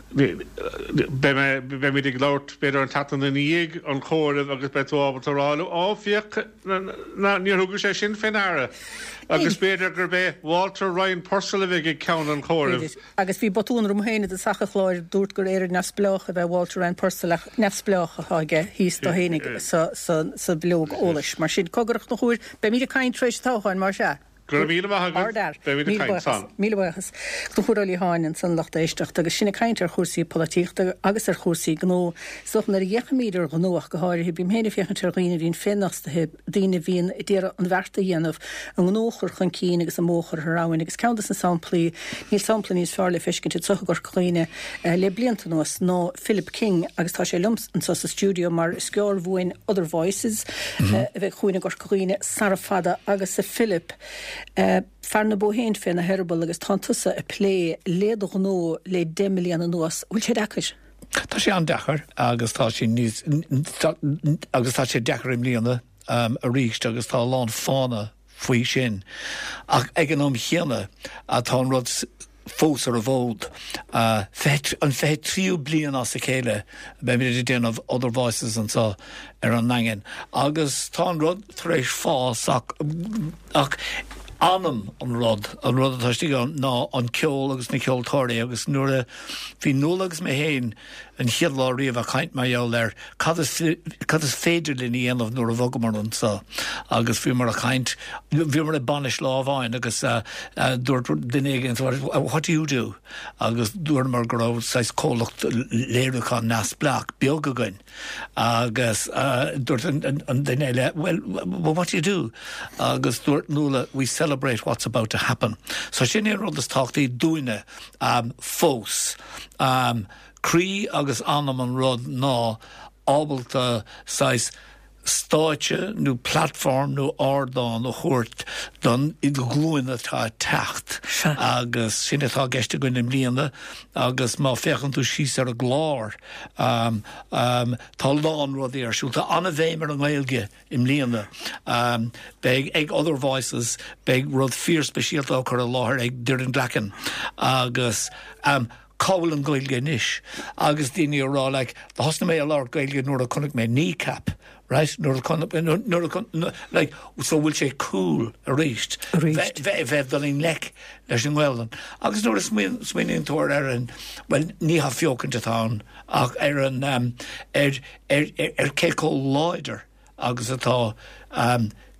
Beidh mé, beimid ag labhairt b'fhéidir an tseachtain i ndiaidh an chomhairimh agus beidh tú ábalta a rá liom, Ó, féach, níor thugais é sin fé ndeara. Agus b'fhéidir gurb é Walter Ryan Purcell a bheidh ag ceann an chomhairimh. Agus bhí botún orm féin i dtosach an chláir, dúrt gur Éire Neamhspleách ab ea Walter Ryan Purcell ach neamhspleách atá aige thíos dó fhéinig sa bhileog eolais. Mar sin, cogar a Chonchúir, beimid ag caint tar éis an toghcháin, más ea. Go raibh míle maith agat. Beimid ag caint san. Míle buíochas. Conchúr Ó Liatháin ansan lucht éisteachta agus sinn ag caint ar chúrsaí polaitíochta agus ar chúrsaí gnó. Is dócha nuair a fhéachaimid ar ghnó ach go háirithe, bím féin ag féachaint ar dhaoine a bhíonn féinfhostaithe, daoine a bhíonn ag iarraidh an bheart a dhéanamh, a ngnó a chur chun cinn agus a mbó a chur thar abhainn agus ceann des na samplaí, níl sampla níos fearr le feiscint anseo i gCorca Dhuibhne le blianta anuas ná Philip King agus tá sé liom anseo sa stiúideo mar is gearr uainn Other Voices a bheidh chugainn i gCorca Dhuibhne sara fada agus a Philip, fear na bó féin féna heireaball agus tánn tusa ag plé le do ghnó le 10 mbliana anuas, bhfuil sé deacair? Tá sé an-deacair agus tá sé níos, agus tá sé deacair i mbliana arís agus tá a lán fáthanna faoi sin. Ach ag an am chéanna tá an rud fós ar an bhfód. An 23ú bliain as a chéile beimid ag déanamh Other Voices anseo ar an nDaingean agus tá an rud tar éis fás ach ach anam an rud, an rud atá istigh ann ná an ceol agus na ceoltóirí agus nuair a bhí Nuala agus mé féin an chéad lá riamh ag caint mar gheall ar cad is cad is féidir linn a dhéanamh nuair a bhogamar anseo agus bhíomar ag caint, bhíomar ag bainis lá amháin agus dúirt duine éigin what do you do? agus dúramar go raibh saghas comhlacht léiriúcháin neamhspleách beag againn agus dúirt an duine eile well what do you do? agus dúirt Nuala we celebrate what's about to happen. So sin é an rud is tábhachtaí dúinne fós. Croí agus anam an rud ná ábalta saghas stáitse nó platform nó ardán a thabhairt don ghlúin atá ag teacht agus sin atá i gceist againn i mbliana agus má féachann tú síos ar an gclár tá a lán rudaí ar siúl. Tá an-bhéim ar an nGaeilge I mbliana, beidh ag Other Voices, beidh rud fíorspeisialta á cur i láthair ag Doireann Glackin agus cá bhfuil an Ghaeilge anois? Agus daoine ag rá like, thosnaigh mé ag labhairt Gaeilge nuair a chonaic mé Kneecap, right? Nuair a chonaic, nuair a chonaic, like, so bhfuil sé cool arís bheith, bheith ag dul i ngleic leis an nGaelainn. Agus nuair a smaoiníonn tú ar an, bhuel, ní hathbheochaint atá ann ach ar an, ar, ar ar cé chomh láidir agus atá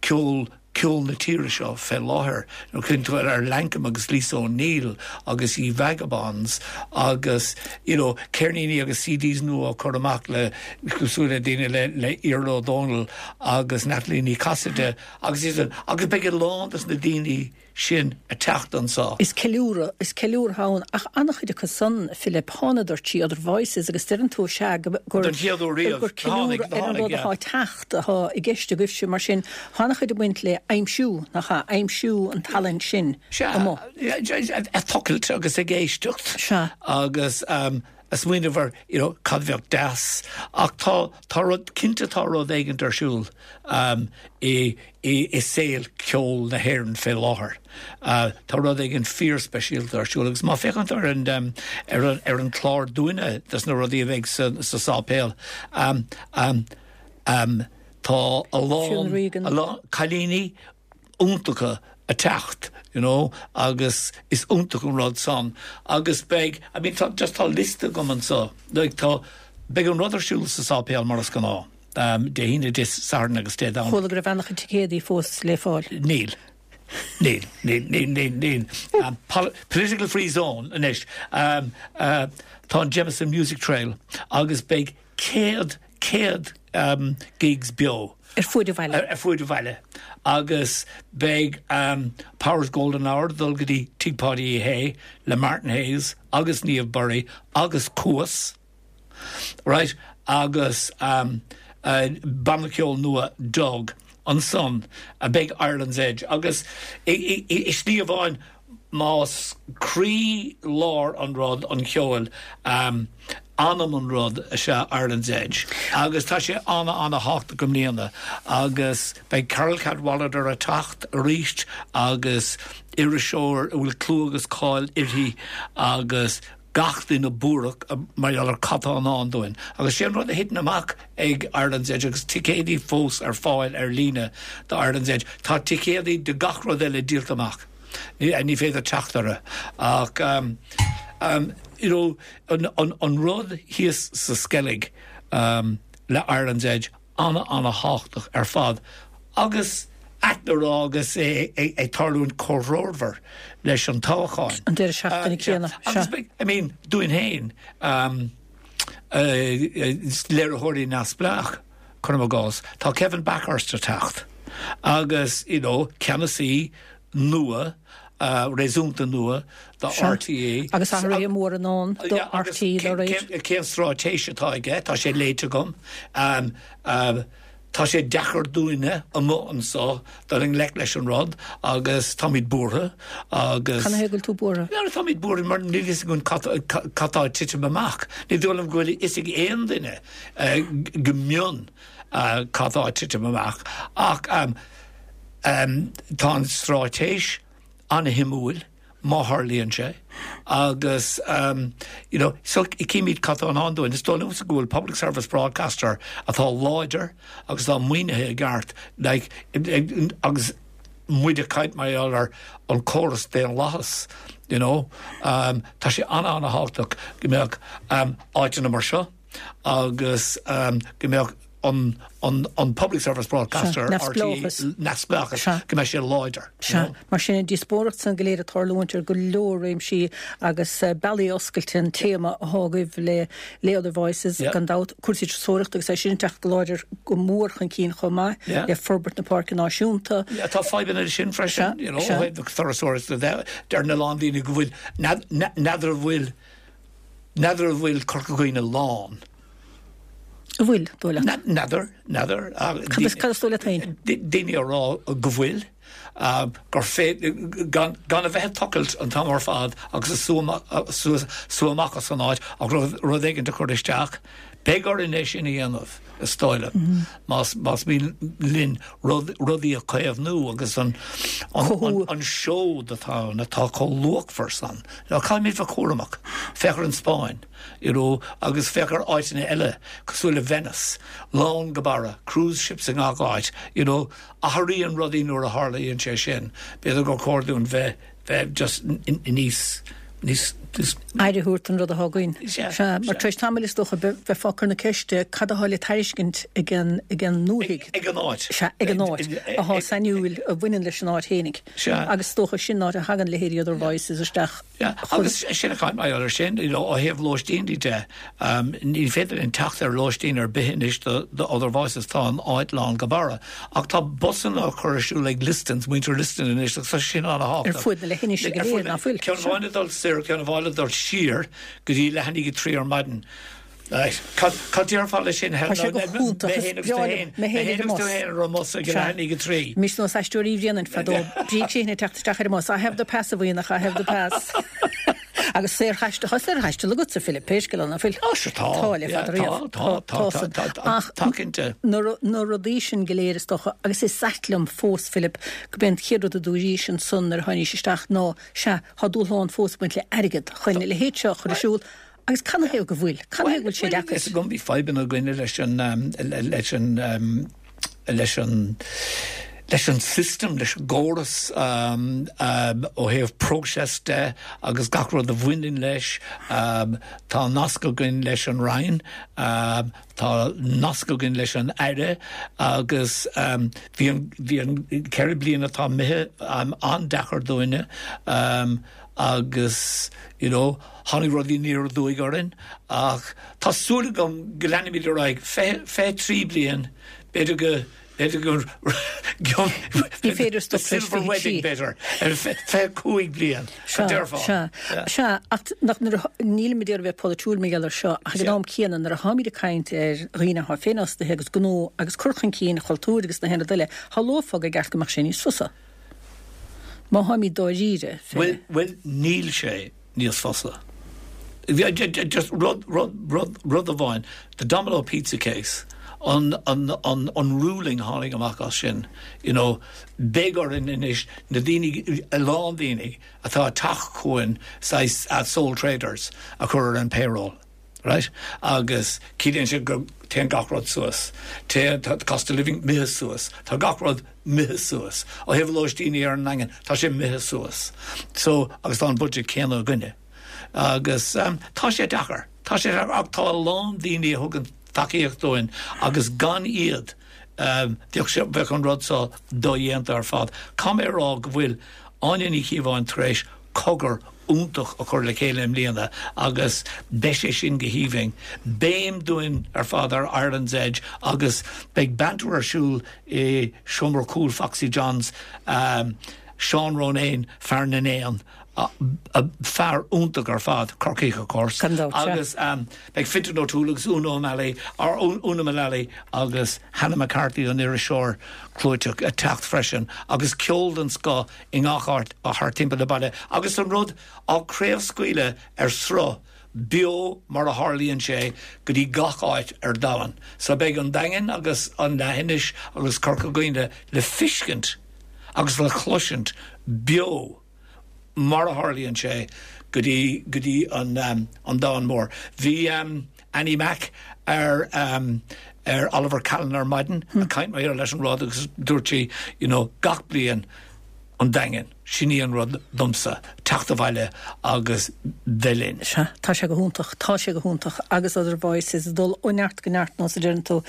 ceol ceol na tíre seo fé láthair. Nuair a chuireann tú ar Lankum agus Lisa O'Neill agus Ye Vagabonds agus you know ceirníní agus CDs nua á cur amach le cosúil le daoine le le Iarla Ó Dónaill agus Natalie Ní Chasaide agus iad agus beidh a lán dos na daoine sin ag teacht anso. Is ceiliúradh, is ceiliúradh ann, ach an-chuid acu san, Philip, thánadar trí Other Voices agus deireann tú, sea, go, gur, Don chéad uair riamh, gur tháinig, ceiliúradh ar an tháinig, rud yeah. atá ag teacht atá i gceist agaibhse, mar sin, tá an-chuid ag baint le aimsiú, nach ea, aimsiú an talainn sin Sea, amuigh. ag tochailt agus ag éisteacht Sea. agus ag smaoineamh ar, you know, cad a bheadh deas, ach tá, tá rud, cinnte tá rud éigint ar siúl i, i saol ceoil na hÉireann fé láthair. Tá rud éigin fíorspeisialta ar siúl agus má féachann tú ar an, ar an, ar an chlár dúinne des na rudaí a bheidh sa, sa sáipéal, tá a lán, a lán cailíní iontacha ag teacht, you know, agus is iontach an rud san agus beidh, I mean tá, just tá liosta agam anso, like tá, beidh an rud ar siúl sa sáipéal mar is gnáth. Dé hAoine, Dé Sathairn agus Dé Domhnaigh. Chuala go raibh an-chuid ticéadaí fós le fáil. Níl. Níl. Níl. Níl. Níl. Níl. Political free zone anois. Tá an Jameson Music Trail agus beidh 100, 100 gigs beo. Ar fuaid an bhaile. Ar fuaid an bhaile. Agus beidh Power's Golden Hour ag dul go dtí Tigh Pháidí Uí Shé le Martin Hayes agus Niamh Bury agus Cuas. Right, agus banna ceoil nua Doug ansan beidh Ireland's Edge agus i slí amháin más croí lár an rud an cheoil, anam an rud is ea Ireland's Edge agus tá sé ana ana thábhachtach i mbliana agus beidh Carole Cadwalladr ag teacht arís agus iriseoir a bhfuil clú agus cáil uirthi agus. gach duine buartha mar gheall ar cad tá i ndán dúinn. Agus sé an rud a thiteann amach ag Ireland's Edge agus ticéadaí fós ar fáil ar líne do Ireland's Edge, tá ticéadaí do gach rud eile díolta amach. Ní féidir teacht orthu. Ach you know, an rud thíos sa Sceilg le Ireland's Edge, ana-ana-thábhachtach ar fad agus ait le rá agus é ag tarlúint comhthreomhar leis an toghchán. An deireadh seachtaine céanna. Agus I mean, dúinn féin, léiritheoirí neamhspleách, cuirim i gcás, tá Kevin Bakhurst ag teacht agus, you know, ceannasaí nua, réasúnta nua do RTÉ. Agus athruithe móra i ndán do RTÉ dá réir. Cén straitéis atá aige? Tá sé léite agam. Tá sé deacair dúinne amuigh anso dul i ngleic leis an rud agus táimid buartha agus. Canathaobh go bhfuil tú buartha? Táimid buartha mar níl fhios againn cad tá ag titim amach. Ní dóigh liom go bhfuil a fhios ag aon duine go mion cad tá ag titim amach ach Tá an straitéis an-shuimiúil, má tharlaíonn sé, agus you know, so címid cad tá i ndán dúinn. Is dóigh liomsa go bhfuil public service broadcaster atá láidir agus atá maoinithe i gceart, like, agus muid ag caint mar gheall ar an córas daonlathas, you know, tá sé an-an-thábhachtach go mbeadh áiteanna mar seo agus go mbeadh an an Public Service Broadcaster, RTÉ, neamhspleáchas, go mbeidh sé láidir. Sea. Mar sin, an díospóireacht san go léir ag tarlúint ar go leor réimsí agus bealaí oscailte an téama athá agaibh le le Other Voices, gan dabht, cúrsaí turasóireachta agus é sin ag teacht go láidir go mór chun cinn chomh maith le forbairt na Páirce Náisiúnta. Tá fadhbanna leis sin freisin, you know, ó thaobh na turasóireachta de. Deir a lán daoine go bhfuil, n'fheadar an bhfuil, n'fheadar an bhfuil Corca Dhuibhne lán. An bhfuil, dóigh leat? N'fheadar, n'fheadar. Cad is, cad is dóigh leat féin? Daoine a rá go bhfuil, gur féidir, gan, gan a bheith ag tochailt an t-am ar fad agus ag sú, sú, sú amach as an áit ach rud, rud éigin a chur isteach. Beidh orainn é sin a dhéanamh, is dóigh liom, más, más mian linn rud, rudaí a chaomhnú agus an, an, an, an seod atá ann atá chomh luachmhar san. Caithfimid bheith cúramach. Féach ar an Spáinn. you know, agus féach ar áiteanna eile cosúil le Venice, lán go barra, cruise ships i ngach áit, you know, athraíonn rudaí nuair a tharlaíonn sé sin, b'fhéidir gur chóir dúinn bheith, bheith just níos, níos, níos. Aire a thabhairt don rud atá againn. Sea, Sea, mar tar éis tamaill is dócha bheifeá ag cur na ceiste cad atá le tairiscint ag an, ag an ndúthaigh. Ag an áit. Sea, ag an áit, atá sainiúil, a bhaineann leis an áit fhéinig. Sea. Agus is dócha sin an áit a thagann leithéidí Other Voices isteach. Yeah, agus sin a chaint mar gheall ar sin, you know, ó thaobh lóistíní de, um, ní féidir linn teacht ar lóistín ar bith anois do, do Other Voices, tá an áit lán go barra. Ach tá busanna á cur ar siúl ag Listons, muintir Liston anois, agus tá sin an-thábhachtach. Ar fud na leithinise go léir, ná fuil? Ceann amháin ag dul soir, ceann amháin ag dul siar go dtí leath i ndiaidh a 3 ar maidin. Right. Cad, cad déarfá leis sin, Tá sé go hiontach, Mé is breá liom, mé féin ar an mbus. Mé féin ar an mbus ag leath i ndiaidh a 3. Mise nós Aisteoirí Uí Bhraonáin fadó. Bríd Sheehan ag teacht isteach ar an mbus. I have the pass, a Bhuíonach, I have the pass. Agus saorthaisteal, tá saorthaisteal agatsa, Philip, pé scéal é, ná fuil? Á, sure tá. Tá, le fada riamh. Tá, tá, tá, tá, tá, Ach tá cinnte. na, na rudaí sin go léir is dócha, agus is ait liom fós, Philip, go b'é an chéad rud a dúraís ansan nuair a tháinís isteach ná, sea, tá dúshlán fós ag baint le airgead chun a leithéid seo a chur ar siúl, Agus canathaobh go bhfuil? Canathaobh go bhfuil sé deacair? Is agam bhí fadhbanna againne leis an leis an leis an leis an system, leis an gcóras ó thaobh próiseas de agus gach rud a bhaineann leis. Tá nasc againn leis an Roinn, tá nasc againn leis an Aire agus bhí an bhí an 4 bliana atá imithe an-deacair dúinne. agus you know tháinig rudaí aniar aduaidh orainn ach tá súil agam go leanfaimid ar aghaidh, 23 bliain, b'fhéidir go, b'fhéidir go Ní féidir stop leis silver wedding b'fhéidir, ar 25 bliain, cad déarfá? Sea, sea, ach nach nuair a, nílimid ag iarraidh bheith polaitiúil mar gheall ar seo ach ag an am céanna nuair a tháimid ag caint ar dhaoine atá féinfhostaithe agus gnó agus cur chun cinn chultúir agus na haon rud eile, shamhlófá gur cheart go mbeadh sé níos fusa. Má tháimid dáiríre fé. Bhuel, bhuel, níl sé níos fusa. Just rud, rud, rud, rud amháin, the Domino Pizza case. An, an, an, an ruling a tháinig amach as sin, you know, beidh orainn anois na daoine, a lán daoine atá ag teacht chugainn, saghas sole traders, a chur ar an payroll. Right? Agus ciallaíonn sé go téann gach rud suas. Téann, tá cost of living imithe suas. Tá gach rud imithe suas. Ó thaobh lóistíní ar an nDaingean, tá sé imithe suas. So, agus tá an budget céanna againne. Agus tá sé deacair. Tá sé deacair ach tá a lán daoine a thugann tacaíocht dúinn agus gan iad bheadh sé, bheadh an rud seo dodhéanta ar fad. Caithfidh mé a rá go bhfuil Áine Ní Chíobháin tar éis cogar iontach a chur le chéile i mbliana agus beidh sé sin go haoibhinn. Béim dúinn ar fad ar Ireland's Edge agus beidh banter ar siúl i seomra cúil Foxy Johns, Seán Ronayne, fear na n-éan, fear iontach ar fad, Corcaíoch of course, agus beidh Fintan O'Toole agus Una O'Malley, or Una Mullally agus Hannah McCarthy an iriseoir clúiteach ag teacht freisin agus ceol den scoth i ngach áit thart timpeall na baile agus an rud á craobhscaoileadh ar sruth beo mar a tharlaíonn sé go dtí gach áit ar domhan. So beidh an Daingean agus an Leathinis agus Corca Dhuibhne le feiscint agus le cloisint beo mar a tharlaíonn sé go dtí go dtí an an domhan mór. Bhí Annie Mac ar ar Oliver Callan ar maidin ag caint maidir leis an rud agus dúirt sí you know gach bliain an Daingean, sin í an rud domsa, teacht abhaile agus bheith linn. Sea, tá sé go hiontach, tá sé go hiontach agus Other Voices ag dul ó neart go neart nós a deireann tú,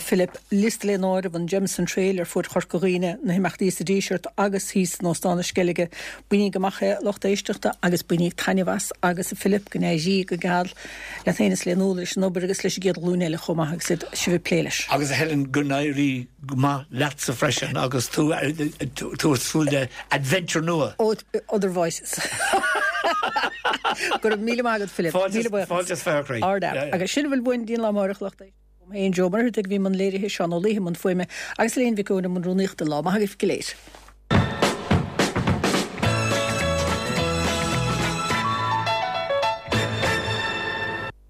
Philip. Liosta lena áireamh an Jameson Trail ar fuaid Chorca Dhuibhne, na himeachtaí sa Díseart agus thíos in Óstán na Sceilge. Bainíg amach é, a lucht éisteachta, agus bainíg taitneamh as agus, a Philip, go n-éirí go geal leat féin is le Nuala leis an obair agus leis an gcéad ghlúin eile chomh maith agus iad sibh ag plé leis. Agus a Helen, go n-éirí go maith leatsa freisin agus tú tú ag súil le adventure nua. Other Voices. Go raibh míle maith agat Philip. Míle buíochas. Fáilte is croí. Ard-fhear. Agus sin a bhfuil uainn go dtí an lá amárach a lucht éisteachta. Uaim féin, Joe Ó Muircheartaigh a bhí i mbun léirithe, Seán Ó Laoithe i mbun fuaime agus Elaine Mhic Eoin i mbun rúnaíochta. Lá maith agaibh go léir.